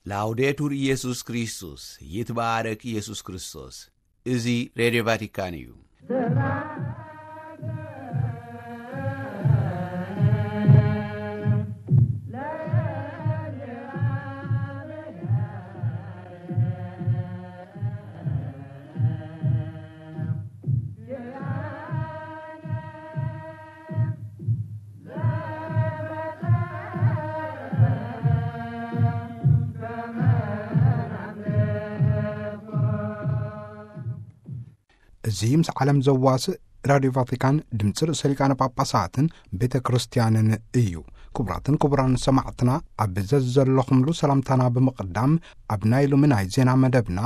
ላውዴቱር ኢየሱስ ክርስቶስ፣ ይትባረክ ኢየሱስ ክርስቶስ። እዚ ሬድዮ ቫቲካን እዩ። እዚ ምስ ዓለም ዘዋስእ ራድዮ ቫቲካን ድምፂ ርእሰ ሊቃነ ጳጳሳትን ቤተ ክርስቲያንን እዩ። ክቡራትን ክቡራን ሰማዕትና፣ ኣብ ዘዘለኹምሉ ሰላምታና ብምቕዳም፣ ኣብ ናይ ሎሚ ናይ ዜና መደብና፣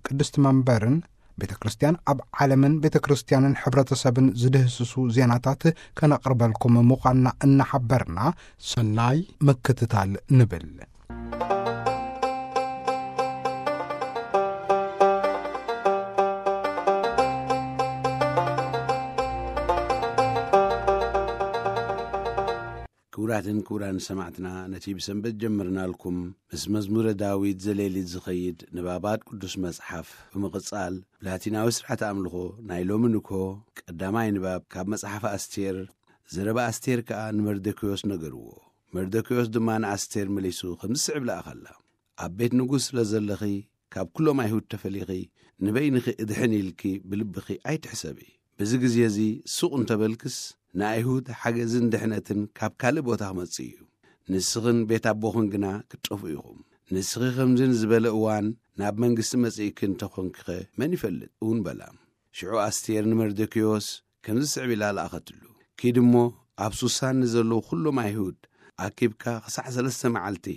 ቅድስቲ መንበርን ቤተ ክርስቲያን ኣብ ዓለምን ቤተ ክርስቲያንን ሕብረተሰብን ዝድህስሱ ዜናታት ከነቕርበልኩም ምዃንና እናሓበርና፣ ሰናይ ምክትታል ንብል። ክቡራትን ክቡራን ሰማዕትና፣ ነቲ ብሰንበት ጀምርናልኩም ምስ መዝሙረ ዳዊት ዘሌሊት ዝኸይድ ንባባት ቅዱስ መጽሓፍ ብምቕጻል፣ ብላቲናዊ ስርዓተ ኣምልኾ ናይ ሎሚ ንግሆ ቀዳማይ ንባብ ካብ መጽሓፍ ኣስቴር፣ ዘረባ ኣስቴር ከኣ ንመርደክዮስ ነገርዎ። መርደክዮስ ድማ ንኣስቴር መሊሱ ከምዚ ስዕብ ለኣኸላ። ኣብ ቤት ንጉስ ስለ ዘለኺ፣ ካብ ኩሎም ኣይሁድ ተፈሊኺ ንበይንኺ እድሕን ኢልኪ ብልብኺ ኣይትሕሰቢ። በዚ ግዜ እዚ ሱቕ እንተበልክስ፣ ንኣይሁድ ሓገዝን ድሕነትን ካብ ካልእ ቦታ ክመጽእ እዩ። ንስኽን ቤት ኣቦኽን ግና ክትጠፍኡ ኢኹም። ንስኺ ከምዚ ዝበለ እዋን ናብ መንግስቲ መጺእኪ እንተኾንኪኸ መን ይፈልጥ? እውን በላ። ሽዑ ኣስቴር ንመርደክዮስ ከምዚ ስዕብ ኢላ ለኣኸትሉ። ኪድ እሞ ኣብ ሱሳን ንዘለዉ ኩሎም ኣይሁድ ኣኪብካ ክሳዕ ሰለስተ መዓልቲ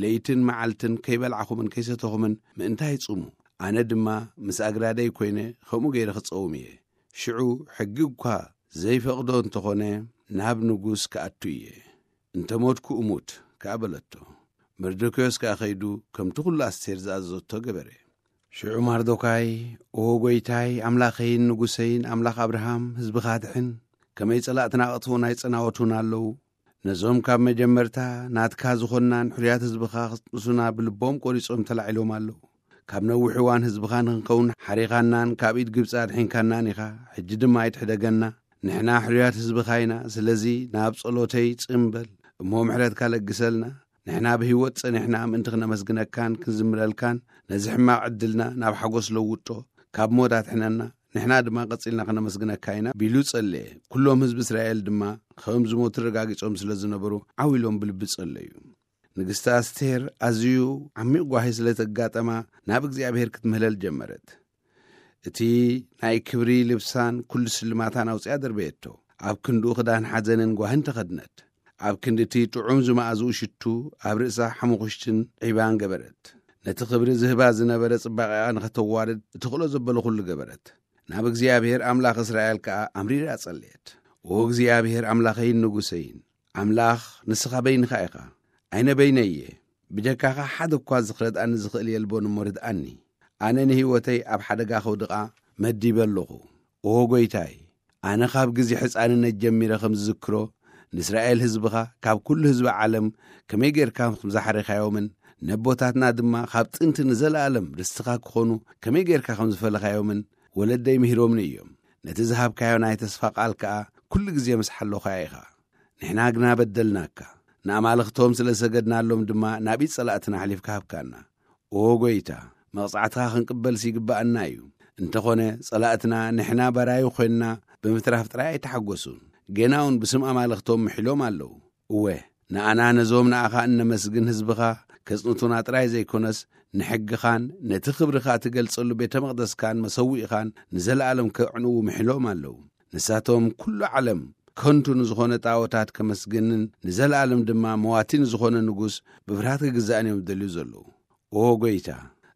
ለይትን መዓልትን ከይበላዕኹምን ከይሰተኹምን ምእንታይ ጽሙ። ኣነ ድማ ምስ ኣግራደይ ኮይነ ከምኡ ገይረ ክጸውም እየ። ሽዑ ሕጊ እኳ ዘይፈቕዶ እንተኾነ ናብ ንጉስ ክኣቱ እየ። እንተ ሞትኩ እሙት ከኣ በለቶ። መርዶክዮስ ከኣ ከይዱ ከምቲ ኹሉ ኣስቴር ዝኣዘዞቶ ገበረ። ሽዑ ማርዶካይ፣ "ኦ ጐይታይ፣ ኣምላኸይን ንጉሰይን፣ ኣምላኽ ኣብርሃም፣ ህዝብኻ ድሕን። ከመይ ጸላእትና ኣቕትቦን ኣይጸናወቱን ኣለዉ። ነዞም ካብ መጀመርታ ናትካ ዝኾንናን ሕሩያት ህዝብኻ ክጥንሱና ብልቦም ቈሪጾም ተላዒሎም ኣለዉ። ካብ ነዊሕ እዋን ህዝብኻ ንኽንከውን ሓሪኻናን ካብ ኢድ ግብጺ ኣድሒንካናን ኢኻ። ሕጂ ድማ ኣይትሕደገና። ንሕና ሕሩያት ህዝብኻ ኢና። ስለዚ ናብ ጸሎተይ ጽን በል እሞ ምሕረትካ ለግሰልና። ንሕና ብህይወት ጸኒሕና ምእንቲ ክነመስግነካን ክንዝምረልካን፣ ነዚ ሕማቕ ዕድልና ናብ ሓጎስ ለውጦ፣ ካብ ሞት ኣድሕነና። ንሕና ድማ ቀጺልና ክነመስግነካ ኢና" ቢሉ ጸለየ። ኩሎም ህዝቢ እስራኤል ድማ ከም ዝሞቱ ረጋጊጾም ስለ ዝነበሩ ዓው ኢሎም ብልቢ ጸለዩ። ንግስቲ ኣስቴር ኣዝዩ ዓሚቕ ጓሂ ስለ ተጋጠማ ናብ እግዚኣብሔር ክትምህለል ጀመረት። እቲ ናይ ክብሪ ልብሳን ኩሉ ስልማታን ኣውጺኣ ደርበየቶ። ኣብ ክንድኡ ክዳን ሓዘንን ጓህን ተኸድነት። ኣብ ክንዲ እቲ ጥዑም ዝመኣዝኡ ሽቱ ኣብ ርእሳ ሓሙኽሽትን ዒባን ገበረት። ነቲ ክብሪ ዝህባ ዝነበረ ጽባቐኣ ንኸተዋርድ እትኽእሎ ዘበለ ኩሉ ገበረት። ናብ እግዚኣብሔር ኣምላኽ እስራኤል ከኣ ኣምሪራ ጸለየት። "ኦ እግዚኣብሔር ኣምላኸይን ንጉሰይን፣ ኣምላኽ ንስኻ በይንኻ ኢኻ፣ ኣነ በይነይ እየ። ብጀካኻ ሓደ እኳ ዝኽረድኣኒ ዝኽእል የልቦን እሞ ርድኣኒ። ኣነ ንህይወተይ ኣብ ሓደጋ ከውድቓ መዲበ ኣለኹ። ኦ ጐይታይ፣ ኣነ ካብ ግዜ ሕፃንነት ጀሚረ ከም ዝዝክሮ፣ ንእስራኤል ህዝብኻ ካብ ኩሉ ህዝቢ ዓለም ከመይ ጌርካ ከም ዝሓረኻዮምን ነቦታትና ድማ ካብ ጥንቲ ንዘለኣለም ርስትኻ ክኾኑ ከመይ ጌርካ ከም ዝፈለኻዮምን ወለደይ ምሂሮምኒ እዮም። ነቲ ዝሃብካዮ ናይ ተስፋ ቃል ከኣ ኩሉ ግዜ ምስ ሓለኻዮ ኢኻ። ንሕና ግና በደልናካ፣ ንኣማልኽቶም ስለ ዝሰገድናሎም ድማ ናብ ኢድ ጸላእትና ኣሕሊፍካ ሃብካና። ኦ ጐይታ፣ መቕጻዕትኻ ክንቅበልሲ ይግብኣና እዩ። እንተኾነ፣ ጸላእትና ንሕና በራዩ ኾይንና ብምትራፍ ጥራይ ኣይተሓጐሱን። ጌና እውን ብስም ኣማልኽቶም ምሒሎም ኣለዉ። እወ፣ ንኣና ነዞም ንኣኻ እነመስግን ህዝብኻ ከጽንቱና ጥራይ ዘይኮነስ፣ ንሕግኻን ነቲ ክብርኻ እትገልጸሉ ቤተ መቕደስካን መሰውኢኻን ንዘለኣለም ከዕንዉ ምሒሎም ኣለዉ። ንሳቶም ኩሉ ዓለም ከንቱ ንዝኾነ ጣዖታት ከመስግንን ንዘለኣለም ድማ መዋቲ ንዝኾነ ንጉስ ብፍርሃት ክግዛእን እዮም ዝደልዩ ዘለዉ። ኦ ጐይታ፣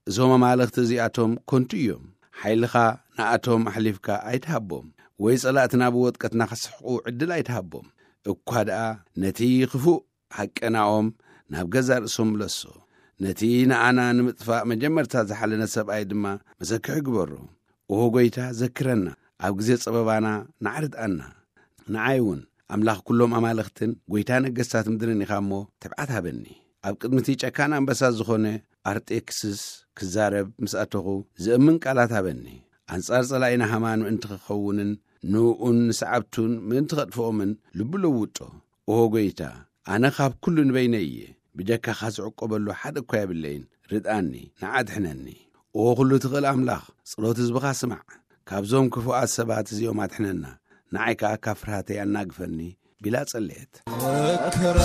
እዞም ኣማልኽቲ እዚኣቶም ከንቱ እዮም። ሓይልኻ ንኣቶም ኣሕሊፍካ ኣይትሃቦም፣ ወይ ጸላእትና ብወጥቀትና ክስሕቑ ዕድል ኣይትሃቦም። እኳ ደኣ ነቲ ክፉእ ሃቀናኦም ናብ ገዛእ ርእሶም ምለሶ። ነቲ ንኣና ንምጥፋእ መጀመርታ ዝሓለነ ሰብኣይ ድማ መሰክሒ ግበሮ። ኦ ጐይታ፣ ዘክረና፣ ኣብ ግዜ ጸበባና ንዓ ርድኣና። ንዓይ እውን ኣምላኽ ኩሎም ኣማልኽትን ጐይታ ነገስታት ምድርን ኢኻ እሞ፣ ትብዓት ሃበኒ። ኣብ ቅድሚ እቲ ጨካን ኣንበሳ ዝኾነ ኣርጤክስስ ክዛረብ ምስ ኣተኹ፣ ዝእምን ቃላት ሃበኒ። ኣንጻር ጸላኢና ሃማ ምእንቲ ክኸውንን ንእኡን ንሰዓብቱን ምእንቲ ከጥፍኦምን ልቡ ለውጦ። ኦ ጐይታ፣ ኣነ ካብ ኩሉ ንበይነይ እየ። ብጀካኻ ዝዕቆበሉ ሓደ እኳ የብለይን። ርድኣኒ፣ ንዓ ድሕነኒ። ኦ ኩሉ ትኽእል ኣምላኽ፣ ጸሎት ህዝብኻ ስማዕ። ካብዞም ክፉኣት ሰባት እዚኦም ኣድሕነና። ንዓይ ከኣ ካብ ፍርሃተይ ኣናግፈኒ፣ ቢላ ጸለየት። መከራ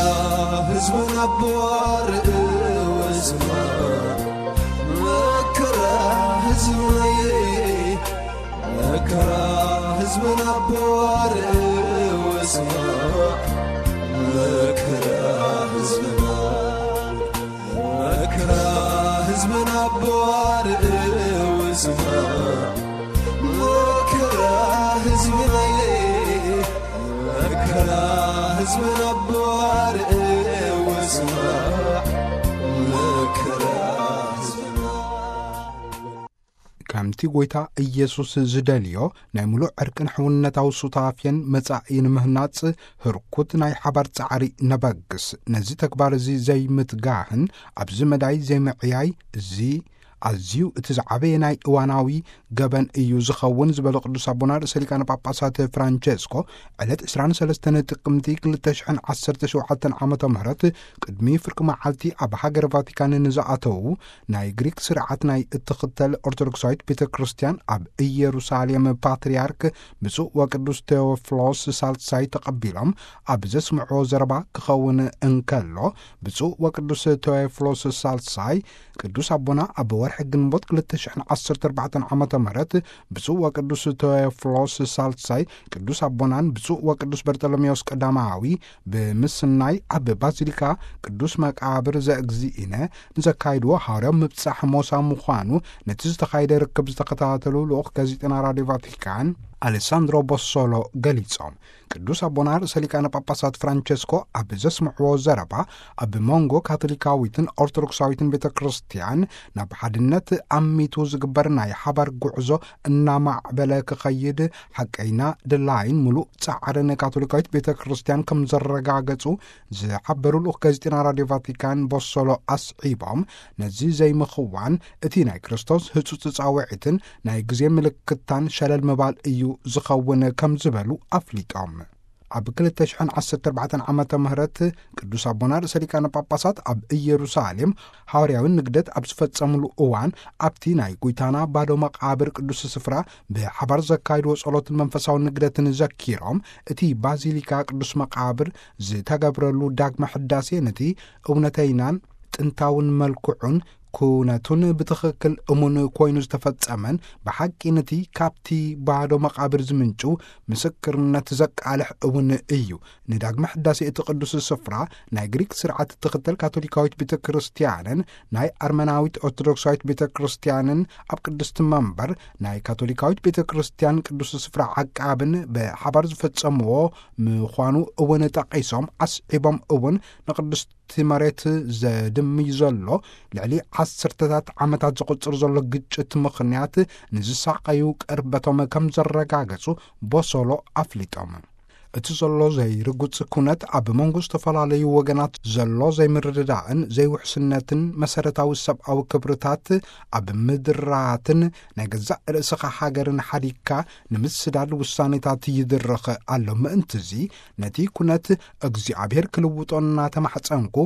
ህዝብና ኣቦ ኣርእዮ ስማዕ፣ መከራ ህዝብና፣ መከራ ህዝብና ኣቦ ኣርእዮ ስማዕ፣ መከራ ህዝብና፣ መከራ ህዝብና ኣቦ ኣርእዮ ስማዕ፣ መከራ ህዝብና፣ መከራ ህዝብና ኣቦ ኣርእዮ ስማዕ፣ መከራ ህዝብና። ከምቲ ጐይታ ኢየሱስ ዝደልዮ፣ ናይ ምሉእ ዕርቅን ሕውነታዊ ሱታፌን መጻኢ ንምህናጽ፣ ህርኩት ናይ ሓባር ጻዕሪ ነበግስ። ነዚ ተግባር እዚ ዘይምትጋህን ኣብዚ መዳይ ዘይምዕያይ፣ እዚ ኣዝዩ እቲ ዝዓበየ ናይ እዋናዊ ገበን እዩ ዝኸውን ዝበሉ ቅዱስ ኣቦና ርእሰ ሊቃነ ጳጳሳት ፍራንቸስኮ፣ ዕለት ዕስራን ሰለስተን ጥቅምቲ ክልተ ሽሕን ዓሰርተ ሸውዓተን ዓመተ ምህረት ቅድሚ ፍርቂ መዓልቲ ኣብ ሃገር ቫቲካን ንዝኣተዉ ናይ ግሪክ ስርዓት ናይ እትኽተል ኦርቶዶክሳዊት ቤተ ክርስቲያን ኣብ ኢየሩሳሌም ፓትርያርክ ብፁዕ ወቅዱስ ቴዎፍሎስ ሳልሳይ ተቐቢሎም ኣብ ዘስምዕዎ ዘረባ ክኸውን እንከሎ፣ ብፁዕ ወቅዱስ ቴዎፍሎስ ሳልሳይ ቅዱስ ኣቦና ኣብ ወርሒ ግንቦት ክልተ ሽሕን ዓሰርተ ኣርባዕተን ዓመተ ምህረት ብፁዕ ወቅዱስ ቴዎፍሎስ ሳልሳይ ቅዱስ ኣቦናን ብፁዕ ወቅዱስ በርጠሎሜዎስ ቀዳማዊ ብምስናይ ኣብ ባዚሊካ ቅዱስ መቃብር ዘእግዚእነ ንዘካይድዎ ሃዋርያዊ ምብጻሕ ሞሳ ምዃኑ ነቲ ዝተኻየደ ርክብ ዝተኸታተሉ ልኡኽ ጋዜጠና ራድዮ ቫቲካን ኣሌሳንድሮ ቦሶሎ ገሊጾም። ቅዱስ ኣቦና ርእሰ ሊቃነ ጳጳሳት ፍራንቸስኮ ኣብ ዘስምዕዎ ዘረባ፣ ኣብ መንጎ ካቶሊካዊትን ኦርቶዶክሳዊትን ቤተ ክርስቲያን ናብ ሓድነት ኣሚቱ ዝግበር ናይ ሓባር ጉዕዞ እናማዕበለ ክኸይድ ሓቀይና ድላይን ምሉእ ጻዕርን ካቶሊካዊት ቤተ ክርስቲያን ከም ዘረጋገጹ ዝሓበሩ ልኡኽ ጋዜጠና ራድዮ ቫቲካን ቦሶሎ ኣስዒቦም፣ ነዚ ዘይምኽዋን እቲ ናይ ክርስቶስ ህጹጽ ጻውዒትን ናይ ግዜ ምልክታን ሸለል ምባል እዩ ዝኸውን ከም ዝበሉ ኣፍሊጦም። ኣብ ክልተ ሽሕን ዓሰርተ ኣርባዕተን ዓመተ ምህረት ቅዱስ ኣቦና ርእሰ ሊቃነ ጳጳሳት ኣብ ኢየሩሳሌም ሃዋርያዊ ንግደት ኣብ ዝፈጸምሉ እዋን፣ ኣብቲ ናይ ጐይታና ባዶ መቓብር ቅዱስ ስፍራ ብሓባር ዘካይድዎ ጸሎትን መንፈሳዊ ንግደትን ዘኪሮም፣ እቲ ባዚሊካ ቅዱስ መቓብር ዝተገብረሉ ዳግመ ሕዳሴ ነቲ እውነተይናን ጥንታውን መልክዑን ኩነቱን ብትኽክል እሙን ኮይኑ ዝተፈጸመን፣ ብሓቂ ነቲ ካብቲ ባዶ መቓብር ዝምንጩ ምስክርነት ዘቃልሕ እውን እዩ። ንዳግመ ሕዳሴ እቲ ቅዱስ ስፍራ ናይ ግሪክ ስርዓት እትኽተል ካቶሊካዊት ቤተ ክርስቲያንን ናይ ኣርመናዊት ኦርቶዶክሳዊት ቤተ ክርስቲያንን ኣብ ቅድስቲ መንበር ናይ ካቶሊካዊት ቤተ ክርስቲያን ቅዱስ ስፍራ ዓቃብን ብሓባር ዝፈጸምዎ ምዃኑ እውን ጠቒሶም፣ ኣስዒቦም እውን ንቅድስቲ መሬት ዘድምይ ዘሎ ልዕሊ ዓሰርተታት ዓመታት ዝቕጽር ዘሎ ግጭት ምኽንያት ንዝሳቐዩ ቅርበቶም ከም ዘረጋገጹ ቦሶሎ ኣፍሊጦም። እቲ ዘሎ ዘይርጉጽ ኩነት ኣብ መንጎ ዝተፈላለዩ ወገናት ዘሎ ዘይምርድዳእን ዘይውሕስነትን መሰረታዊ ሰብኣዊ ክብርታት ኣብ ምድራትን ናይ ገዛእ ርእስኻ ሃገርን ሓዲግካ ንምስዳድ ውሳኔታት ይድረኽ ኣሎ። ምእንትዚ ነቲ ኩነት እግዚኣብሔር ክልውጦ እናተማሕጸንኩ፣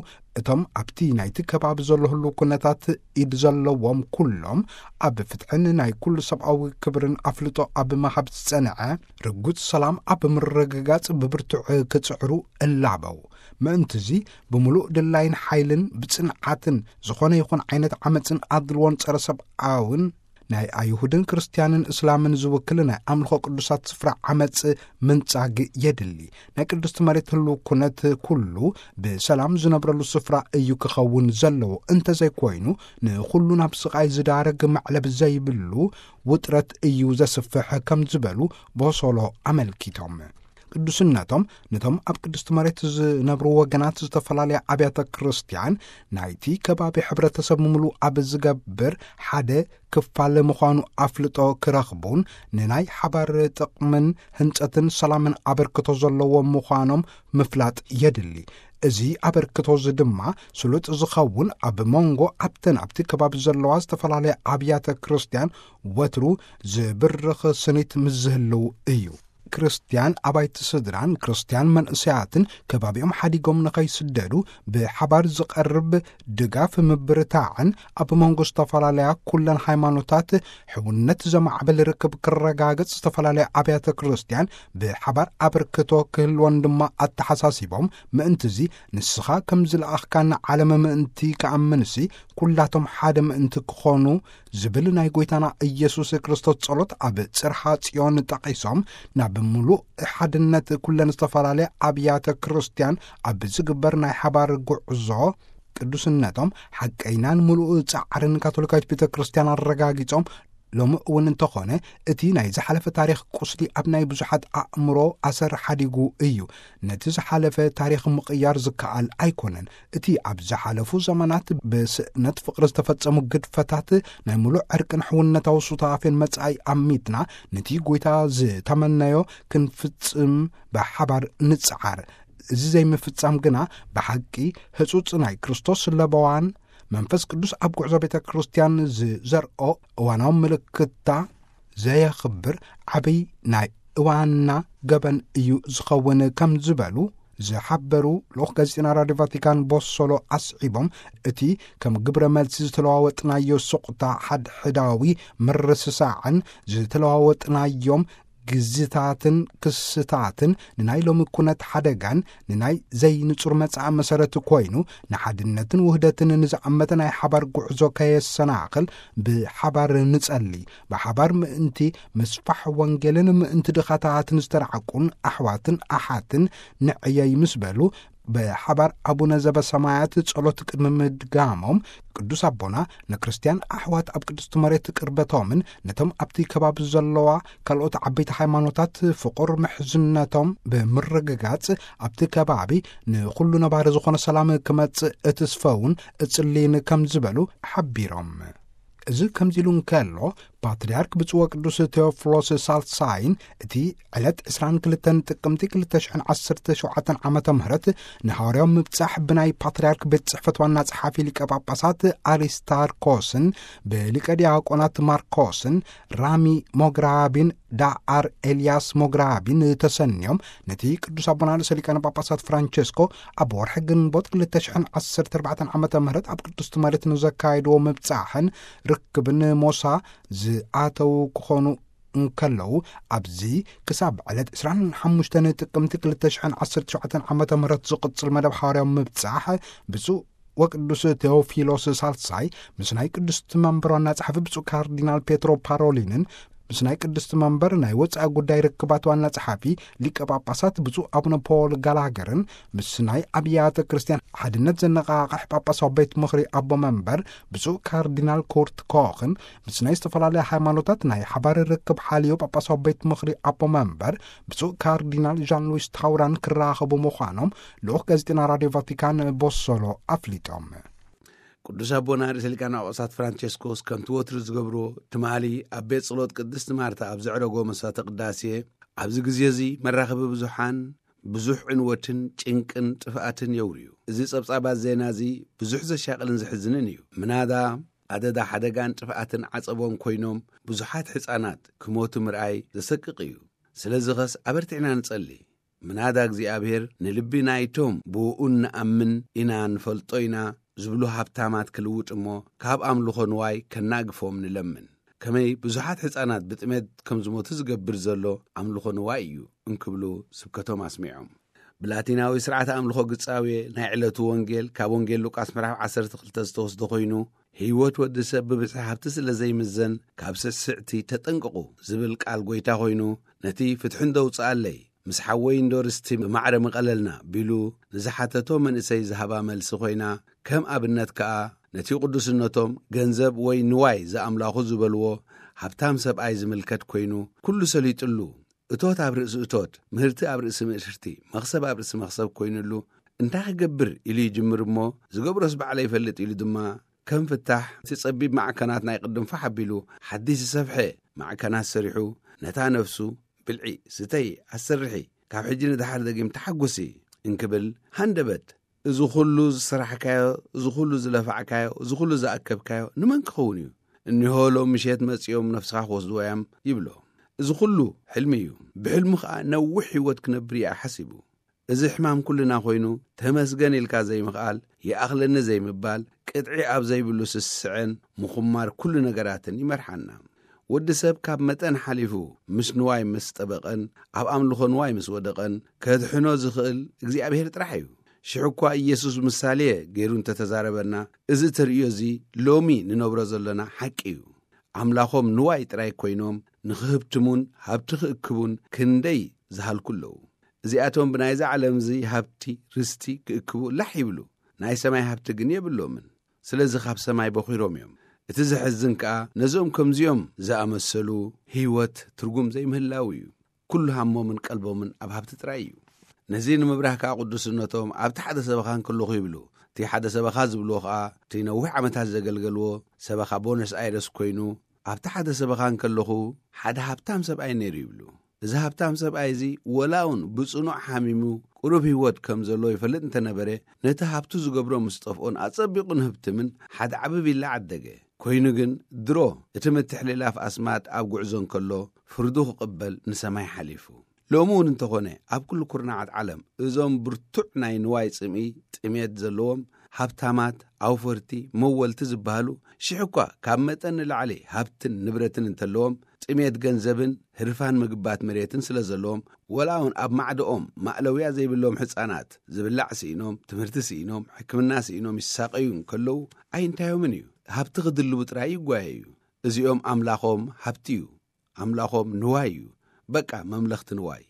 እቶም ኣብቲ ናይቲ ከባቢ ዘሎ ህሉው ኩነታት ኢድ ዘለዎም ኩሎም ኣብ ፍትሕን ናይ ኩሉ ሰብኣዊ ክብርን ኣፍልጦ ኣብ ምሃብ ዝጸንዐ ርጉጽ ሰላም ኣብ ምርግጋጽ ብብርቱዕ ክጽዕሩ እላበው። ምእንትዚ ብምሉእ ድላይን ሓይልን ብጽንዓትን ዝኾነ ይኹን ዓይነት ዓመጽን ኣድልዎን ጸረ ሰብኣውን ናይ ኣይሁድን ክርስትያንን እስላምን ዝውክል ናይ ኣምልኾ ቅዱሳት ስፍራ ዓመጽ ምንጻግ የድሊ። ናይ ቅድስቲ መሬት ህሉው ኩነት ኩሉ ብሰላም ዝነብረሉ ስፍራ እዩ ክኸውን ዘለዎ። እንተዘይኮይኑ ንኹሉ ናብ ስቓይ ዝዳረግ መዕለብ ዘይብሉ ውጥረት እዩ ዘስፍሕ ከም ዝበሉ ቦሶሎ ኣመልኪቶም። ቅዱስነቶም ነቶም ኣብ ቅድስቲ መሬት ዝነብሩ ወገናት ዝተፈላለያ ኣብያተ ክርስቲያን ናይቲ ከባቢ ሕብረተሰብ ምሉእ ኣብ ዝገብር ሓደ ክፋል ምዃኑ ኣፍልጦ ክረኽቡን ንናይ ሓባር ጥቕምን ህንጸትን ሰላምን ኣበርክቶ ዘለዎም ምዃኖም ምፍላጥ የድሊ። እዚ ኣበርክቶ እዚ ድማ ስሉጥ ዝኸውን ኣብ መንጎ ኣብተን ኣብቲ ከባቢ ዘለዋ ዝተፈላለያ ኣብያተ ክርስቲያን ወትሩ ዝብርኽ ስኒት ምስ ዝህልው እዩ። ክርስቲያን ኣባይቲ ስድራን ክርስቲያን መንእሰያትን ከባቢኦም ሓዲጎም ንኸይስደዱ ብሓባር ዝቐርብ ድጋፍ ምብርታዕን ኣብ መንጎ ዝተፈላለያ ኩለን ሃይማኖታት ሕውነት ዘማዕብል ርክብ ክረጋገጽ ዝተፈላለያ ኣብያተ ክርስቲያን ብሓባር ኣበርክቶ ክህልወን ድማ ኣተሓሳሲቦም፣ ምእንትዚ ንስኻ ከም ዝለኣኽካና ዓለም ምእንቲ ክኣምንሲ ኩላቶም ሓደ ምእንቲ ክኾኑ ዝብል ናይ ጎይታና ኢየሱስ ክርስቶስ ጸሎት ኣብ ጽርሓ ጽዮን ጠቒሶም፣ ናብ ምሉእ ሓድነት ኩለን ዝተፈላለያ ኣብያተ ክርስቲያን ኣብ ዝግበር ናይ ሓባር ጉዕዞ ቅዱስነቶም ሓቀይናን ምሉእ ጻዕርን ካቶሊካዊት ቤተ ክርስቲያን ኣረጋጊጾም፣ ሎሚ እውን እንተኾነ እቲ ናይ ዝሓለፈ ታሪኽ ቁስሊ ኣብ ናይ ብዙሓት ኣእምሮ ኣሰር ሓዲጉ እዩ። ነቲ ዝሓለፈ ታሪኽ ምቕያር ዝከኣል ኣይኮነን። እቲ ኣብ ዝሓለፉ ዘመናት ብስእነት ፍቕሪ ዝተፈጸሙ ግድፈታት ናይ ምሉእ ዕርቅን ሕውነታዊ ሱታፌን መጻኢ ኣሚትና ነቲ ጎይታ ዝተመነዮ ክንፍጽም ብሓባር ንጽዓር። እዚ ዘይምፍጻም ግና ብሓቂ ህጹጽ ናይ ክርስቶስ ለበዋን መንፈስ ቅዱስ ኣብ ጉዕዞ ቤተ ክርስቲያን ዝዘርኦ እዋናዊ ምልክታ ዘየኽብር ዓብይ ናይ እዋንና ገበን እዩ ዝኸውን ከም ዝበሉ ዝሓበሩ ልኡኽ ጋዜጠና ራድዮ ቫቲካን ቦሶሎ ኣስዒቦም፣ እቲ ከም ግብረ መልሲ ዝተለዋወጥናዮ ሱቕታ ሓድሕዳዊ ምርስሳዕን ዝተለዋወጥናዮም ግዝታትን ክስታትን ንናይ ሎሚ ኩነት ሓደጋን ንናይ ዘይንጹር መጻኢ መሰረት ኮይኑ፣ ንሓድነትን ውህደትን ንዝኣመተ ናይ ሓባር ጉዕዞ ከየሰናኽል ብሓባር ንጸሊ። ብሓባር ምእንቲ ምስፋሕ ወንጌልን ምእንቲ ድኻታትን ዝተራዕቁን ኣሕዋትን ኣሓትን ንዕየይ ምስ በሉ፣ ብሓባር ኣቡነ ዘበሰማያት ጸሎት ቅድሚ ምድጋሞም፣ ቅዱስ ኣቦና ንክርስትያን ኣሕዋት ኣብ ቅድስቲ መሬት ቅርበቶምን ነቶም ኣብቲ ከባቢ ዘለዋ ካልኦት ዓበይቲ ሃይማኖታት ፍቑር ምሕዝነቶም ብምርግጋጽ፣ ኣብቲ ከባቢ ንኹሉ ነባሪ ዝኾነ ሰላም ክመጽእ እትስፈውን እጽልይን ከም ዝበሉ ሓቢሮም። እዚ ከምዚ ኢሉ እንከሎ፣ ፓትርያርክ ብፁዕ ወቅዱስ ቴዎፍሎስ ሳልሳይን እቲ ዕለት ዕስራን ክልተን ጥቅምቲ ክልተ ሽሕን ዓሰርተ ሸውዓተን ዓመተ ምህረት ንሃዋርያዊ ምብጻሕ ብናይ ፓትርያርክ ቤት ጽሕፈት ዋና ጸሓፊ ሊቀ ጳጳሳት ኣሪስታርኮስን ብሊቀ ዲያቆናት ማርኮስን ራሚ ሞግራቢን ዳኣር ኤልያስ ሞግራቢን ተሰንዮም፣ ነቲ ቅዱስ ኣቦና ርእሰ ሊቃነ ጳጳሳት ፍራንቸስኮ ኣብ ወርሒ ግንቦት ክልተ ሽሕን ዓሰርተ ኣርባዕተን ዓመተ ምህረት ኣብ ቅድስቲ መሬት ንዘካየድዎ ምብጻሕን ርክብን ሞሳ ዝኣተዉ ክኾኑ እንከለዉ፣ ኣብዚ ክሳብ ዕለት ዕስራን ሓሙሽተን ጥቅምቲ ክልተ ሽሕን ዓሰርተ ሸውዓተን ዓመተ ምህረት ዝቕጽል መደብ ሓዋርያዊ ምብጻሕ ብፁዕ ወቅዱስ ቴዎፊሎስ ሳልሳይ ምስ ናይ ቅድስቲ መንበር ዋና ጸሓፊ ብፁዕ ካርዲናል ፔትሮ ፓሮሊንን ምስ ናይ ቅድስቲ መንበር ናይ ወጻኢ ጉዳይ ርክባት ዋና ጸሓፊ ሊቀ ጳጳሳት ብፁዕ ኣቡነ ፖል ጋላገርን ምስ ናይ ኣብያተ ክርስቲያን ሓድነት ዘነቓቕሕ ጳጳሳዊ ቤት ምኽሪ ኣቦ መንበር ብፁዕ ካርዲናል ኩርት ኮኽን ምስ ናይ ዝተፈላለያ ሃይማኖታት ናይ ሓባር ርክብ ሓልዮ ጳጳሳዊ ቤት ምኽሪ ኣቦ መንበር ብፁዕ ካርዲናል ዣን ሉዊስ ታውራን ክራኸቡ ምዃኖም ልኡኽ ጋዜጠና ራድዮ ቫቲካን ቦሶሎ ኣፍሊጦም። ቅዱስ ኣቦና ርእሰ ሊቃነ ጳጳሳት ፍራንቸስኮስ ከምቲ ወትሩ ዝገብርዎ፣ ትማሊ ኣብ ቤት ጸሎት ቅድስቲ ማርታ ኣብ ዘዕረጎ መስዋዕተ ቅዳሴ፣ ኣብዚ ግዜ እዚ መራኸቢ ብዙሓን ብዙሕ ዕንወትን ጭንቅን ጥፍኣትን የውርዩ። እዚ ጸብጻባት ዜና እዚ ብዙሕ ዘሻቕልን ዘሕዝንን እዩ። ምናዳ ኣደዳ ሓደጋን ጥፍኣትን ዓጸቦን ኮይኖም ብዙሓት ሕጻናት ክሞቱ ምርኣይ ዘሰቅቕ እዩ። ስለዚ ኸስ ኣበርቲዕና ንጸሊ። ምናዳ እግዚኣብሔር ንልቢ ናይቶም ብእኡ እንኣምን ኢና፣ ንፈልጦ ኢና ዝብሉ ሃብታማት ክልውጥ እሞ፣ ካብ ኣምልኾ ንዋይ ከናግፎም ንለምን። ከመይ ብዙሓት ሕፃናት ብጥሜት ከም ዝሞቱ ዝገብር ዘሎ ኣምልኾ ንዋይ እዩ እንክብሉ ስብከቶም ኣስሚዖም። ብላቲናዊ ስርዓተ ኣምልኾ ግጻዌ ናይ ዕለቱ ወንጌል ካብ ወንጌል ሉቃስ ምዕራፍ ዓሰርተ ክልተ ዝተወስደ ኮይኑ፣ ህይወት ወዲ ሰብ ብብዝሒ ሃብቲ ስለ ዘይምዘን፣ ካብ ስዕስዕቲ ተጠንቀቑ ዝብል ቃል ጎይታ ኮይኑ፣ ነቲ ፍትሒ እንዶ ውጽኣለይ፣ ምስ ሓወይ እንዶ ርስቲ ብማዕረ ምቐለልና ቢሉ ንዝሓተቶ መንእሰይ ዝሃባ መልሲ ኮይና፣ ከም ኣብነት ከኣ ነቲ ቅዱስነቶም ገንዘብ ወይ ንዋይ ዝኣምላኹ ዝበልዎ ሃብታም ሰብኣይ ዝምልከት ኮይኑ፣ ኩሉ ሰሊጥሉ፣ እቶት ኣብ ርእሲ እቶት፣ ምህርቲ ኣብ ርእሲ ምህርቲ፣ መኽሰብ ኣብ ርእሲ መኽሰብ ኮይኑሉ፣ እንታይ ክገብር ኢሉ ይጅምር እሞ፣ ዝገብሮስ ባዕለ ይፈልጥ ኢሉ ድማ ከም ፍታሕ እቲ ጸቢብ ማዕከናት ናይ ቅድም ፋሕ ኣቢሉ ሓድሽ ዝሰፍሐ ማዕከናት ሰሪሑ፣ ነታ ነፍሱ ብልዒ፣ ስተይ፣ ኣሰርሒ፣ ካብ ሕጂ ንደሓር ደጊም ተሓጉሲ እንክብል ሃንደበት። እዚ ኩሉ ዝሰራሕካዮ፣ እዚ ኩሉ ዝለፋዕካዮ፣ እዚ ኩሉ ዝኣከብካዮ ንመን ክኸውን እዩ? እኒሆ ሎም ምሸት መጺኦም ነፍስኻ ክወስድዎ እዮም ይብሎ። እዚ ኩሉ ሕልሚ እዩ። ብሕልሙ ኸኣ ነዊሕ ህይወት ክነብር እያ ሓሲቡ። እዚ ሕማም ኩልና ኮይኑ፣ ተመስገን ኢልካ ዘይምኽኣል፣ ይኣኽለኒ ዘይምባል፣ ቅጥዒ ኣብ ዘይብሉ ስስዐን ምኹማር ኩሉ ነገራትን ይመርሓና። ወዲ ሰብ ካብ መጠን ሓሊፉ ምስ ንዋይ ምስ ጠበቐን ኣብ ኣምልኾ ንዋይ ምስ ወደቐን፣ ከድሕኖ ዝኽእል እግዚኣብሔር ጥራሕ እዩ። ሽሕ እኳ ኢየሱስ ምሳሌ ገይሩ እንተተዛረበና፣ እዚ ተርእዮ እዚ ሎሚ ንነብሮ ዘለና ሓቂ እዩ። ኣምላኾም ንዋይ ጥራይ ኮይኖም ንኽህብትሙን ሃብቲ ክእክቡን ክንደይ ዝሃልኩ ኣለዉ። እዚኣቶም ብናይዛ ዓለም እዚ ሃብቲ፣ ርስቲ ክእክቡ ላሕ ይብሉ፣ ናይ ሰማይ ሃብቲ ግን የብሎምን። ስለዚ ካብ ሰማይ በኺሮም እዮም። እቲ ዘሕዝን ከኣ ነዞም ከምዚኦም ዝኣመሰሉ ህይወት ትርጉም ዘይምህላው እዩ። ኩሉ ሃሞምን ቀልቦምን ኣብ ሃብቲ ጥራይ እዩ። ነዚ ንምብራህ ከኣ ቅዱስነቶም ኣብቲ ሓደ ሰበኻ እንከለኹ ይብሉ። እቲ ሓደ ሰበኻ ዝብልዎ ከኣ እቲ ነዊሕ ዓመታት ዘገልገልዎ ሰበኻ ቦነስ ኣይረስ ኮይኑ፣ ኣብቲ ሓደ ሰበኻ እንከለኹ ሓደ ሃብታም ሰብኣይ ነይሩ ይብሉ። እዚ ሃብታም ሰብኣይ እዚ ወላ እውን ብጽኑዕ ሓሚሙ ቁሩብ ህይወት ከም ዘሎ ይፈልጥ እንተነበረ፣ ነቲ ሃብቱ ዝገብሮ ምስ ጠፍኦን ኣጸቢቑ ንህብትምን ሓደ ዓቢ ቪላ ዓደገ። ኮይኑ ግን ድሮ እቲ ምትሕልላፍ ኣስማት ኣብ ጉዕዞ እንከሎ ፍርዱ ክቕበል ንሰማይ ሓሊፉ። ሎሚ እውን እንተኾነ ኣብ ኩሉ ኩርናዓት ዓለም እዞም ብርቱዕ ናይ ንዋይ ጽምኢ ጥሜት ዘለዎም ሃብታማት ኣውፈርቲ መወልቲ ዝበሃሉ ሽሕ እኳ ካብ መጠን ንላዕሊ ሃብትን ንብረትን እንተለዎም ጥሜት ገንዘብን ህርፋን ምግባት መሬትን ስለ ዘለዎም፣ ወላ እውን ኣብ ማዕደኦም ማእለውያ ዘይብሎም ሕፃናት ዝብላዕ ስኢኖም፣ ትምህርቲ ስኢኖም፣ ሕክምና ስኢኖም ይሳቐዩ እንከለዉ ኣይንታዮምን እዩ። ሃብቲ ክድልቡ ጥራይ ይጓየ እዩ። እዚኦም ኣምላኾም ሃብቲ እዩ። ኣምላኾም ንዋይ እዩ። በቃ መምለኽቲ ንዋይ።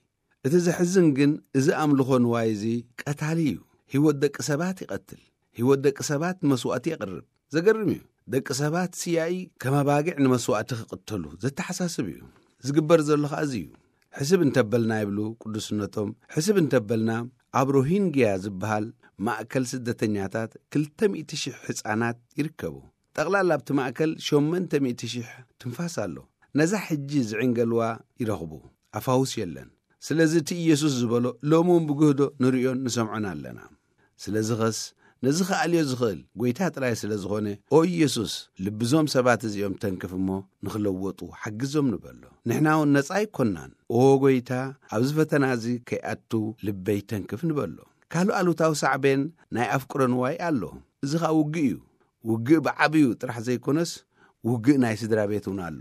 እቲ ዘሕዝን ግን እዚ ኣምልኾ ንዋይ እዚ ቀታሊ እዩ። ህይወት ደቂ ሰባት ይቐትል። ህይወት ደቂ ሰባት ንመስዋእቲ የቕርብ። ዘገርም እዩ። ደቂ ሰባት ስያኢ ከም ኣባጊዕ ንመስዋእቲ ክቕተሉ ዘተሓሳስብ እዩ። ዝግበር ዘሎ ኸኣ እዚ እዩ። ሕስብ እንተበልና ይብሉ ቅዱስነቶም፣ ሕስብ እንተበልና ኣብ ሮሂንግያ ዝበሃል ማእከል ስደተኛታት ክልተ ሚእቲ ሽሕ ህጻናት ይርከቡ። ጠቕላላ ኣብቲ ማእከል ሸሞንተ ሚእቲ ሽሕ ትንፋስ ኣሎ። ነዛ ሕጂ ዝዕንገልዋ ይረኽቡ። ኣፋውስ የለን። ስለዚ እቲ ኢየሱስ ዝበሎ ሎሚ እውን ብግህዶ ንርእዮን ንሰምዖን ኣለና። ስለዚ ኸስ ነዚ ክኣልዮ ዝኽእል ጐይታ ጥራይ ስለ ዝኾነ፣ ኦ ኢየሱስ፣ ልብዞም ሰባት እዚኦም ተንክፍ እሞ ንኽለወጡ ሓግዞም ንበሎ። ንሕና እውን ነጻ ኣይኮናን። ኦ ጐይታ፣ ኣብዚ ፈተና እዚ ከይኣቱ ልበይ ተንክፍ ንበሎ። ካልእ ኣሉታዊ ሳዕቤን ናይ ኣፍቅሮ ንዋይ ኣሎ። እዚ ኸኣ ውግእ እዩ። ውግእ ብዓብዩ ጥራሕ ዘይኮነስ፣ ውግእ ናይ ስድራ ቤት እውን ኣሎ።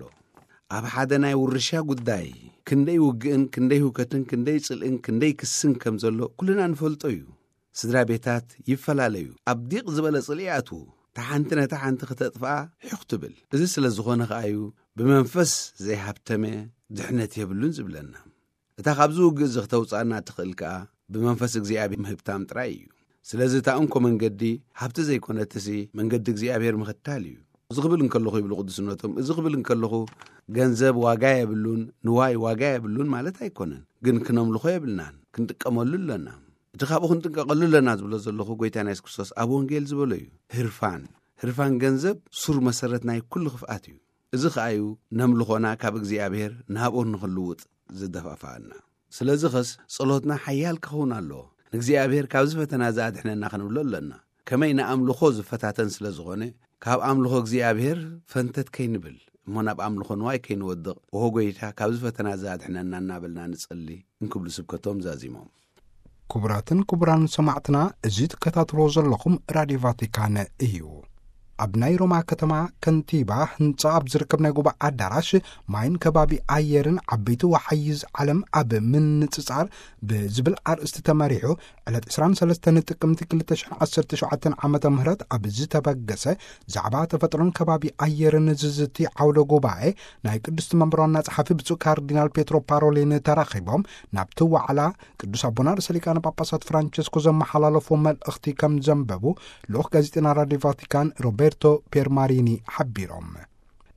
ኣብ ሓደ ናይ ውርሻ ጉዳይ ክንደይ ውግእን ክንደይ ህውከትን ክንደይ ጽልእን ክንደይ ክስን ከም ዘሎ ኩልና ንፈልጦ እዩ። ስድራ ቤታት ይፈላለዩ። ኣብ ዲቕ ዝበለ ጽልኢ ይኣትዉ። እታ ሓንቲ ነታ ሓንቲ ክተጥፍኣ ሒኹ ትብል። እዚ ስለ ዝኾነ ኸኣ እዩ ብመንፈስ ዘይሃብተመ ድሕነት የብሉን ዝብለና። እታ ካብዚ ውግእ እዚ ክተውጽኣና ትኽእል ከኣ ብመንፈስ እግዚኣብሔር ምህብታም ጥራይ እዩ። ስለዚ እታ እንኮ መንገዲ ሃብቲ ዘይኮነትሲ መንገዲ እግዚኣብሔር ምኽታል እዩ። እዚ ክብል እንከለኹ ይብሉ ቅዱስነቶም፣ እዚ ክብል እንከለኹ ገንዘብ ዋጋ የብሉን፣ ንዋይ ዋጋ የብሉን ማለት ኣይኮነን። ግን ክነምልኾ የብልናን፣ ክንጥቀመሉ ኣለና። እቲ ካብኡ ክንጥንቀቐሉ ኣለና ዝብሎ ዘለኹ ጎይታና የሱስ ክርስቶስ ኣብ ወንጌል ዝበሎ እዩ። ህርፋን፣ ህርፋን ገንዘብ ሱር መሰረት ናይ ኩሉ ክፍኣት እዩ። እዚ ኸኣ እዩ ነምልኾና ካብ እግዚኣብሔር ንሃብኦን ንኽልውጥ ዝደፋፍኣና። ስለዚ ኸስ ጸሎትና ሓያል ክኸውን ኣለዎ። ንእግዚኣብሔር ካብዚ ፈተና እዚ ኣድሕነና ክንብሎ ኣለና። ከመይ ንኣምልኾ ዝፈታተን ስለ ዝኾነ፣ ካብ ኣምልኾ እግዚኣብሔር ፈንተት ከይንብል፣ እሞ ናብ ኣምልኾ ንዋይ ከይንወድቕ፣ ኦሆ ጐይታ፣ ካብዚ ፈተና እዚ ኣድሕነና እናበልና ንጸሊ እንክብሉ ስብከቶም ዛዚሞም። ክቡራትን ክቡራን ሰማዕትና፣ እዚ ትከታተልዎ ዘለኹም ራድዮ ቫቲካን እዩ። ኣብ ናይ ሮማ ከተማ ከንቲባ ህንጻ ኣብ ዝርከብ ናይ ጉባኤ ኣዳራሽ ማይን ከባቢ ኣየርን ዓበይቲ ወሓይዝ ዓለም ኣብ ምንጽጻር ብዝብል ኣርእስቲ ተመሪሑ ዕለት ዕስራን ሰለስተን ጥቅምቲ ክልተ ሽሕን ዓሰርተ ሸውዓተን ዓመተ ምህረት ኣብ ዝተበገሰ ዛዕባ ተፈጥሮን ከባቢ ኣየርን ዝዝቲ ዓውደ ጉባኤ ናይ ቅድስቲ መንበር ዋና ጸሓፊ ብፁዕ ካርዲናል ፔትሮ ፓሮሊን ተራኺቦም ናብቲ ዋዕላ ቅዱስ ኣቦና ርእሰ ሊቃነ ጳጳሳት ፍራንቸስኮ ዘመሓላለፎ መልእኽቲ ከም ዘንበቡ ልኡኽ ጋዜጠና ራድዮ ቫቲካን ሮቤርቶ ፔርማሪኒ ሓቢሮም።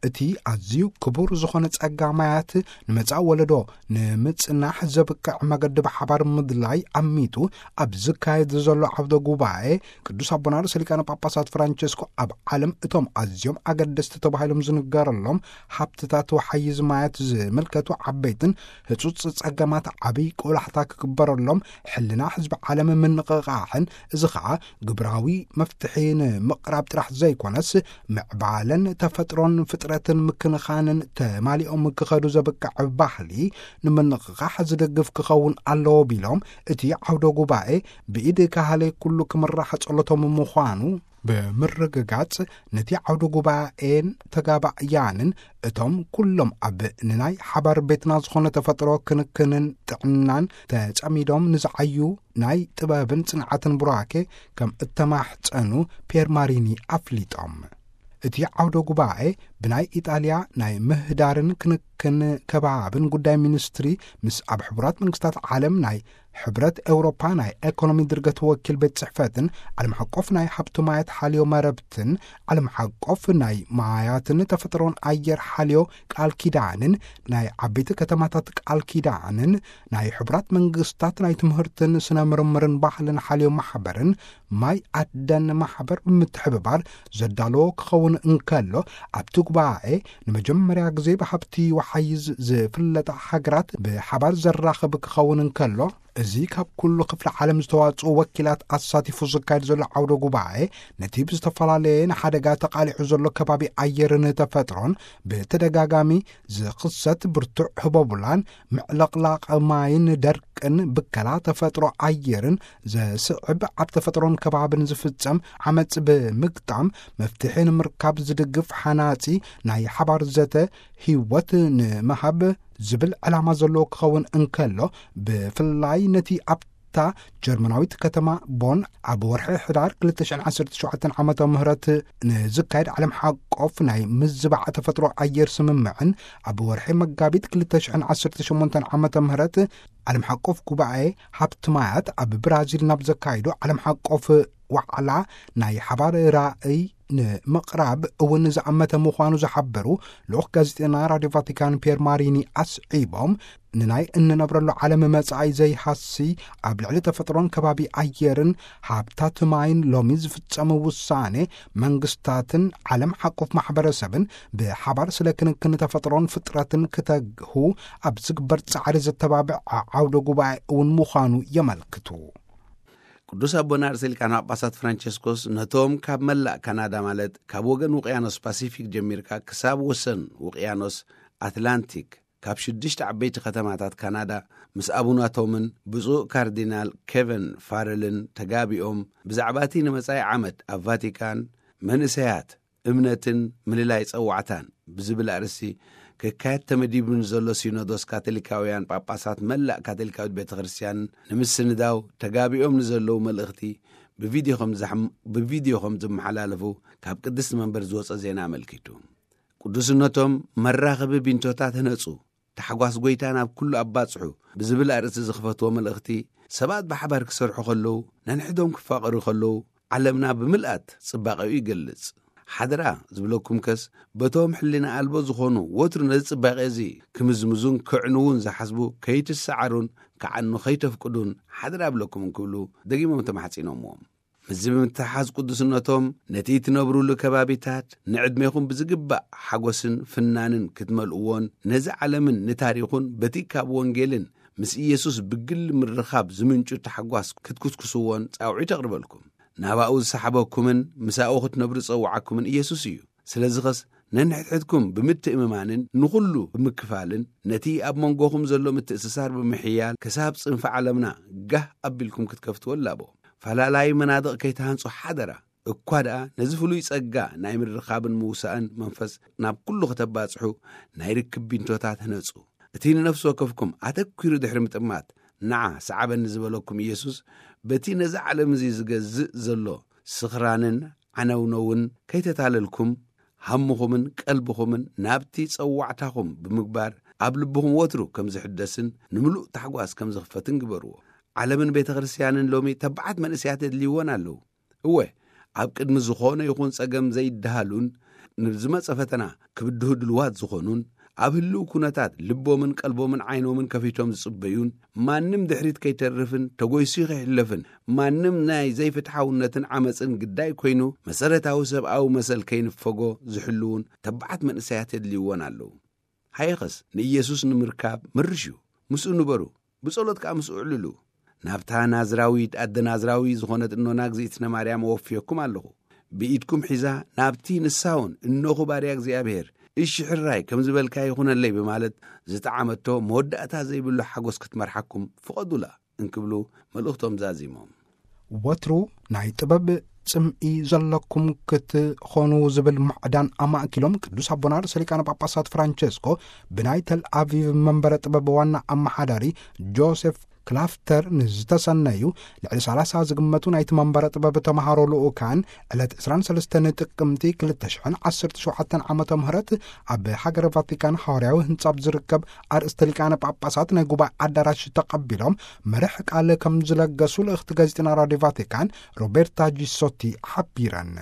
እቲ ኣዝዩ ክቡር ዝኾነ ጸጋ ማያት ንመጻኢ ወለዶ ንምጽናሕ ዘብቅዕ መገዲ ብሓባር ምድላይ ኣሚቱ ኣብ ዝካየድ ዘሎ ዓውደ ጉባኤ፣ ቅዱስ ኣቦና ርእሰ ሊቃነ ጳጳሳት ፍራንቸስኮ ኣብ ዓለም እቶም ኣዝዮም ኣገደስቲ ተባሂሎም ዝንገረሎም ሃብትታት ወሓይዝ ማያት ዝምልከቱ ዓበይትን ህጹጽ ጸገማት ዓብይ ቆላሕታ ክግበረሎም፣ ሕልና ህዝቢ ዓለም ምንቕቓሕን፣ እዚ ኸኣ ግብራዊ መፍትሒ ንምቕራብ ጥራሕ ዘይኮነስ፣ ምዕባለን ተፈጥሮን ፍጥረትን ምክንኻንን ተማሊኦም ክኸዱ ዘብቅዕ ባህሊ ንምንቕቓሕ ዝድግፍ ክኸውን ኣለዎ ቢሎም፣ እቲ ዓውደ ጉባኤ ብኢድ ካህሌ ኩሉ ክምራሕ ጸሎቶም ምዃኑ ብምርግጋጽ፣ ነቲ ዓውደ ጉባኤን ተጋባእያንን፣ እቶም ኩሎም ኣብ ንናይ ሓባር ቤትና ዝኾነ ተፈጥሮ ክንክንን ጥዕናን ተጸሚዶም ንዝዓዩ ናይ ጥበብን ጽንዓትን ቡራኬ ከም እተማሕጸኑ ፒየር ማሪኒ ኣፍሊጦም። እቲ ዓውደ ጉባኤ ብናይ ኢጣልያ ናይ ምህዳርን ክንክን ከባብን ጉዳይ ሚኒስትሪ ምስ ኣብ ሕቡራት መንግስታት ዓለም ናይ ሕብረት ኤውሮፓ ናይ ኤኮኖሚ ድርገት ወኪል ቤት ጽሕፈትን ዓለም ሓቆፍ ናይ ሃብቲ ማያት ሓልዮ መረብትን ዓለም ሓቆፍ ናይ ማያትን ተፈጥሮን ኣየር ሓልዮ ቃል ኪዳንን ናይ ዓበይቲ ከተማታት ቃል ኪዳንን ናይ ሕቡራት መንግስታት ናይ ትምህርትን ስነ ምርምርን ባህልን ሓልዮ ማሕበርን ማይ ኣደን ማሕበር ብምትሕብባር ዘዳለዎ ክኸውን እንከሎ፣ ኣብቲ ጉባኤ ንመጀመርያ ግዜ ብሃብቲ ወሓይዝ ዝፍለጣ ሃገራት ብሓባር ዘራኽብ ክኸውን እንከሎ፣ እዚ ካብ ኩሉ ክፍለ ዓለም ዝተዋጽኡ ወኪላት ኣሳቲፉ ዝካየድ ዘሎ ዓውደ ጉባኤ፣ ነቲ ብዝተፈላለየ ንሓደጋ ተቓሊዑ ዘሎ ከባቢ ኣየርን ተፈጥሮን ብተደጋጋሚ ዝኽሰት ብርቱዕ ህቦብላን ምዕለቕላቕ ማይን ደርቅን ብከላ ተፈጥሮ ኣየርን ዘስዕብ ኣብ ተፈጥሮን ከባብን ዝፍጸም ዓመጽ ብምግጣም መፍትሒ ንምርካብ ዝድግፍ ሓናጺ ናይ ሓባር ዘተ ህይወት ንምሃብ ዝብል ዕላማ ዘለዎ ክኸውን እንከሎ፣ ብፍላይ ነቲ ኣብታ ጀርመናዊት ከተማ ቦን ኣብ ወርሒ ሕዳር ክልተ ሽሕን ዓሰርተ ሸውዓተን ዓመተ ምህረት ንዝካየድ ዓለም ሓቆፍ ናይ ምዝባዕ ተፈጥሮ ኣየር ስምምዕን ኣብ ወርሒ መጋቢት ክልተ ሽሕን ዓሰርተ ሸሞንተን ዓመተ ምህረት ዓለም ሓቆፍ ጉባኤ ሃብቲ ማያት ኣብ ብራዚል ናብ ዘካይዶ ዓለም ሓቆፍ ዋዕላ ናይ ሓባር ራእይ ንምቕራብ እውን ዝኣመተ ምዃኑ ዝሓበሩ ልኡኽ ጋዜጠና ራድዮ ቫቲካን ፒየር ማሪኒ ኣስዒቦም፣ ንናይ እንነብረሉ ዓለም መጻኢ ዘይሃሲ ኣብ ልዕሊ ተፈጥሮን ከባቢ ኣየርን ሃብታት ማይን ሎሚ ዝፍጸም ውሳኔ መንግስታትን ዓለም ሓቆፍ ማሕበረሰብን ብሓባር ስለ ክንክን ተፈጥሮን ፍጥረትን ክተግሁ ኣብ ዝግበር ጻዕሪ ዘተባብዕ ዓውደ ጉባኤ እውን ምዃኑ የመልክቱ። ቅዱስ ኣቦና ርእሰ ሊቃነ ጳጳሳት ፍራንቸስኮስ ነቶም ካብ መላእ ካናዳ፣ ማለት ካብ ወገን ውቅያኖስ ፓሲፊክ ጀሚርካ ክሳብ ወሰን ውቅያኖስ ኣትላንቲክ፣ ካብ ሽዱሽተ ዓበይቲ ከተማታት ካናዳ ምስ ኣቡናቶምን ብፁዕ ካርዲናል ኬቨን ፋረልን ተጋቢኦም፣ ብዛዕባ እቲ ንመጻኢ ዓመት ኣብ ቫቲካን መንእሰያት፣ እምነትን ምልላይ ጸዋዕታን ብዝብል ኣርእስቲ ክካየድ ተመዲቡ ንዘሎ ሲኖዶስ ካቶሊካውያን ጳጳሳት መላእ ካቶሊካዊት ቤተ ክርስቲያን ንምስንዳው ተጋቢኦም ንዘለዉ መልእኽቲ ብቪድዮ ከም ዘሕም-፣ ብቪድዮ ከም ዝመሓላለፉ ካብ ቅድስቲ መንበር ዝወጸ ዜና ኣመልኪቱ። ቅዱስነቶም መራኸቢ ቢንቶታት ህነጹ፣ ታሕጓስ ጐይታ ናብ ኩሉ ኣባጽሑ ብዝብል ኣርእስቲ ዝኽፈትዎ መልእኽቲ፣ ሰባት ብሓባር ክሰርሑ ከለዉ፣ ነንሕዶም ክፋቐሩ ከለዉ፣ ዓለምና ብምልኣት ጽባቐኡ ይገልጽ። ሓደራ ዝብለኩም ከስ፣ በቶም ሕሊና ኣልቦ ዝኾኑ፣ ወትሩ ነዚ ጽባቐ እዚ ክምዝምዙን ከዕንዉን ዝሓስቡ ከይትሰዓሩን ክዓኑ ከይተፍቅዱን ሓደራ እብለኩም እንክብሉ ደጊሞም ተማሕጺኖምዎም። ምስዚ ብምትሓዝ ቅዱስነቶም ነቲ ትነብሩሉ ከባቢታት ንዕድሜኹም ብዝግባእ ሓጎስን ፍናንን ክትመልእዎን ነዚ ዓለምን ንታሪኹን በቲ ካብ ወንጌልን ምስ ኢየሱስ ብግሊ ምርኻብ ዝምንጩ ታሕጓስ ክትኩስኩስዎን ጻውዒት ኣቕርበልኩም። ናባኡ ዝሰሓበኩምን ምሳኡ ክትነብሩ ዝጸውዓኩምን ኢየሱስ እዩ። ስለዚ ኸስ ነንሕድሕድኩም ብምትእምማንን ንኹሉ ብምክፋልን ነቲ ኣብ መንጎኹም ዘሎ ምትእስሳር ብምሕያል ክሳብ ጽንፊ ዓለምና ጋህ ኣቢልኩም ክትከፍትዎ እላቦ። ፈላላዪ መናድቕ ከይትሃንጹ ሓደራ። እኳ ደኣ ነዚ ፍሉይ ጸጋ ናይ ምርኻብን ምውሳእን መንፈስ ናብ ኩሉ ከተባጽሑ ናይ ርክብ ቢንቶታት ህነጹ። እቲ ንነፍሲ ወከፍኩም ኣተኲሩ ድሕሪ ምጥማት፣ ንዓ ሰዓበኒ ዝበለኩም ኢየሱስ፣ በቲ ነዚ ዓለም እዚ ዝገዝእ ዘሎ ስኽራንን ዓነውነውን ከይተታለልኩም፣ ሃምኹምን ቀልብኹምን ናብቲ ጸዋዕታኹም ብምግባር፣ ኣብ ልብኹም ወትሩ ከም ዝሕደስን ንምሉእ ታሕጓስ ከም ዝኽፈትን ግበርዎ። ዓለምን ቤተ ክርስቲያንን ሎሚ ተባዓት መንእሰያት የድልይወን ኣለዉ። እወ፣ ኣብ ቅድሚ ዝኾነ ይኹን ጸገም ዘይደሃሉን ንዝመጸ ፈተና ክብድሁ ድልዋት ዝኾኑን፣ ኣብ ህልው ኩነታት ልቦምን ቀልቦምን ዓይኖምን ከፊቶም ዝጽበዩን፣ ማንም ድሕሪት ከይተርፍን ተጎይሱ ከይሕለፍን፣ ማንም ናይ ዘይፍትሓውነትን ዓመጽን ግዳይ ኮይኑ መሰረታዊ ሰብኣዊ መሰል ከይንፈጎ ዝሕልውን ተባዓት መንእሰያት የድልይዎን ኣለዉ። ሃየኸስ ንኢየሱስ ንምርካብ ምርሽ እዩ። ምስኡ ንበሩ፣ ብጸሎት ከኣ ምስኡ እዕልሉ። ናብታ ናዝራዊት ኣደ ናዝራዊ ዝኾነት እኖና እግዚኣብነ ማርያም እወፍየኩም ኣለኹ። ብኢድኩም ሒዛ ናብቲ ንሳውን እነኹ ባርያ እግዚኣብሔር፣ እሺ ሕራይ ከም ዝበልካ ይኹነለይ ብማለት ዝጠዓመቶ መወዳእታ ዘይብሉ ሓጎስ ክትመርሓኩም ፍቐዱላ እንክብሉ መልእኽቶም ዛዚሞም። ወትሩ ናይ ጥበብ ጽምኢ ዘለኩም ክትኾኑ ዝብል ምዕዳን ኣማእኪሎም ቅዱስ ኣቦና ርእሰ ሊቃነ ጳጳሳት ፍራንቸስኮ ብናይ ተል ኣቪቭ መንበረ ጥበብ ዋና ኣመሓዳሪ ጆሴፍ ክላፍተር ንዝተሰነዩ ልዕሊ ሰላሳ ዝግመቱ ናይቲ መንበረ ጥበብ ተምሃሮ ልኡካን ዕለት ዕስራን ሰለስተን ጥቅምቲ ክልተ ሽሕን ዓሰርተ ሸውዓተን ዓመተ ምህረት ኣብ ሃገረ ቫቲካን ሓዋርያዊ ህንጻ ኣብ ዝርከብ ኣርእስተ ሊቃነ ጳጳሳት ናይ ጉባኤ ኣዳራሽ ተቐቢሎም መርሕ ቃል ከም ዝለገሱ ልእኽቲ ጋዜጠና ራድዮ ቫቲካን ሮቤርታ ጂሶቲ ሓቢረን።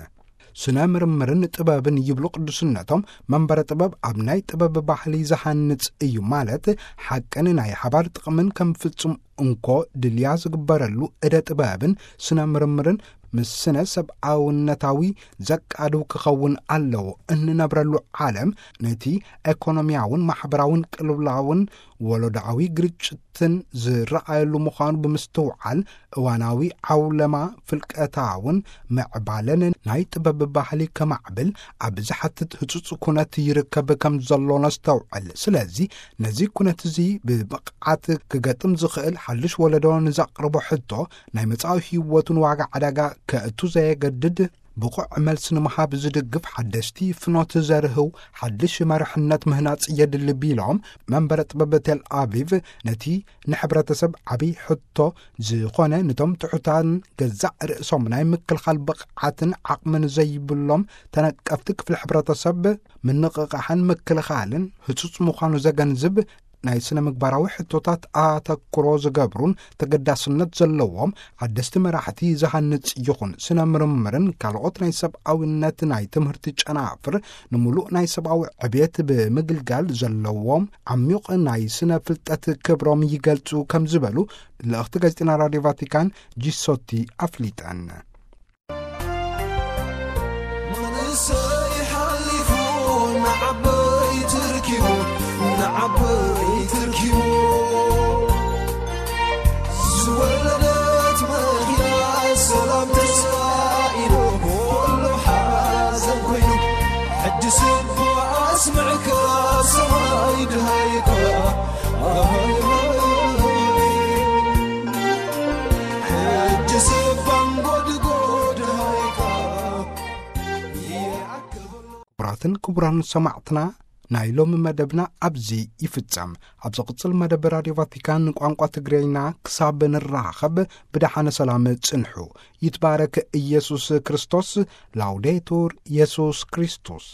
ስነ ምርምርን ጥበብን ይብሉ ቅዱስነቶም፣ መንበረ ጥበብ ኣብ ናይ ጥበብ ባህሊ ዝሃንጽ እዩ ማለት ሓቅን ናይ ሓባር ጥቕምን ከም ፍጹም እንኮ ድልያ ዝግበረሉ እደ ጥበብን ስነ ምርምርን ምስ ስነ ሰብኣውነታዊ ዘቃድው ክኸውን ኣለዎ። እንነብረሉ ዓለም ነቲ ኤኮኖሚያውን ማሕበራውን ቅልውላውን ወለዶኣዊ ግርጭትን ዝረኣየሉ ምዃኑ ብምስትውዓል፣ እዋናዊ ዓውለማ ፍልቀታውን ምዕባለን ናይ ጥበብ ባህሊ ከማዕብል ኣብ ዝሓትት ህጹጽ ኩነት ይርከብ ከም ዘሎ ነስተውዕል። ስለዚ ነዚ ኩነት እዚ ብብቕዓት ክገጥም ዝኽእል ሓድሽ ወለዶ ንዘቕርቦ ሕቶ፣ ናይ መጻኢ ህይወቱን ዋጋ ዕዳጋ ከእቱ ዘየገድድ ብቑዕ መልሲ ንምሃብ ዝድግፍ ሓደስቲ ፍኖት ዘርህው ሓድሽ መርሕነት ምህናጽ የድሊ ቢሎም፣ መንበረ ጥበብ ቴል ኣቪቭ ነቲ ንሕብረተሰብ ዓብይ ሕቶ ዝኾነ ንቶም ትሑታን ገዛእ ርእሶም ናይ ምክልኻል ብቕዓትን ዓቕምን ዘይብሎም ተነቀፍቲ ክፍሊ ሕብረተሰብ ምንቕቓሕን ምክልኻልን ህጹጽ ምዃኑ ዘገንዝብ ናይ ስነ ምግባራዊ ሕቶታት ኣተኩሮ ዝገብሩን ተገዳስነት ዘለዎም ሓደስቲ መራሕቲ ዝሃንጽ ይኹን ስነ ምርምርን ካልኦት ናይ ሰብኣውነት ናይ ትምህርቲ ጨናፍር ንምሉእ ናይ ሰብኣዊ ዕብየት ብምግልጋል ዘለዎም ዓሚቕ ናይ ስነ ፍልጠት ክብሮም ይገልጹ ከም ዝበሉ ልእኽቲ ጋዜጠና ራድዮ ቫቲካን ጂሶቲ ኣፍሊጠን። መንእሰይ ሓሊፉ ንዓበይቲ ርኪቡ፣ ንዓበይቲ ርኪቡ። ዝወለደት መኪና ሰላም ተስፋ ኢሉ፣ ኩሉ ሓዘን ኮይኑ፣ ሕጂ ስቡእ ኣስምዕካ ሰብኣይ ድሃይካ። ሕጂ ስባን ጎድጎድ ሃይካ ይኣክል በሎ። ክቡራትን ክቡራን ሰማዕትና፣ ናይ ሎሚ መደብና ኣብዚ ይፍጸም። ኣብ ዝቕጽል መደብ ራድዮ ቫቲካን ቋንቋ ትግርኛ ክሳብ ንራኸብ ብደሓነ ሰላም ጽንሑ። ይትባረክ ኢየሱስ ክርስቶስ። ላውዴቱር ኢየሱስ ክርስቶስ።